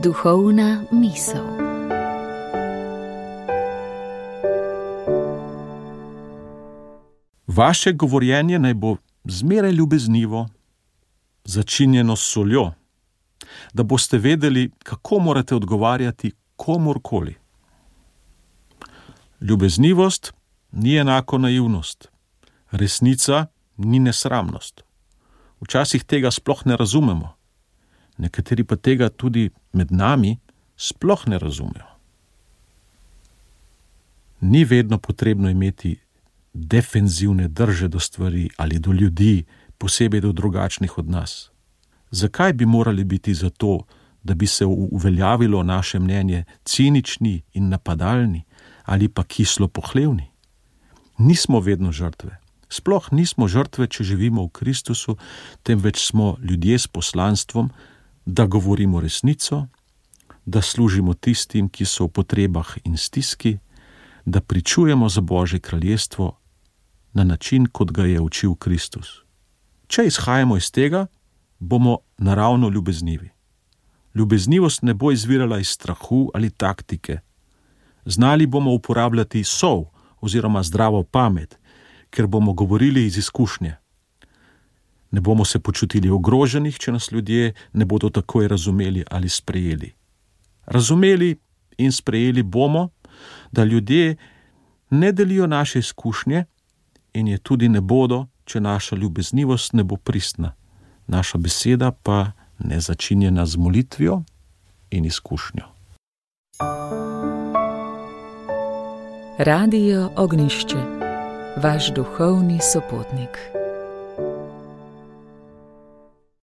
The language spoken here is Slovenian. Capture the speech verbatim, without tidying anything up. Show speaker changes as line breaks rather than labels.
Duhovna misel.
Vaše govorjenje naj bo zmeraj ljubeznivo, začinjeno s soljo, da boste vedeli, kako morate odgovarjati komurkoli. Ljubeznivost ni enako naivnost, resnica ni nesramnost. Včasih tega sploh ne razumemo, nekateri pa tega tudi med nami sploh ne razumejo. Ni vedno potrebno imeti defenzivne drže do stvari ali do ljudi, posebej do drugačnih od nas. Zakaj bi morali biti za to, da bi se uveljavilo naše mnenje cinični in napadalni ali pa kislo pohlevni? Nismo vedno žrtve. Sploh nismo žrtve, če živimo v Kristusu, temveč smo ljudje s poslanstvom, da govorimo resnico, da služimo tistim, ki so v potrebah in stiski, da pričujemo za Božje kraljestvo na način, kot ga je učil Kristus. Če izhajamo iz tega, bomo naravno ljubeznivi. Ljubeznivost ne bo izvirala iz strahu ali taktike. Znali bomo uporabljati sol oziroma zdravo pamet, ker bomo govorili iz izkušnje. Ne bomo se počutili ogroženih, če nas ljudje ne bodo takoj razumeli ali sprejeli. Razumeli in sprejeli bomo, da ljudje ne delijo naše izkušnje in je tudi ne bodo, če naša ljubeznivost ne bo pristna, naša beseda pa ne začinjena z molitvijo in izkušnjo.
Radio Ognjišče, vaš duhovni sopotnik.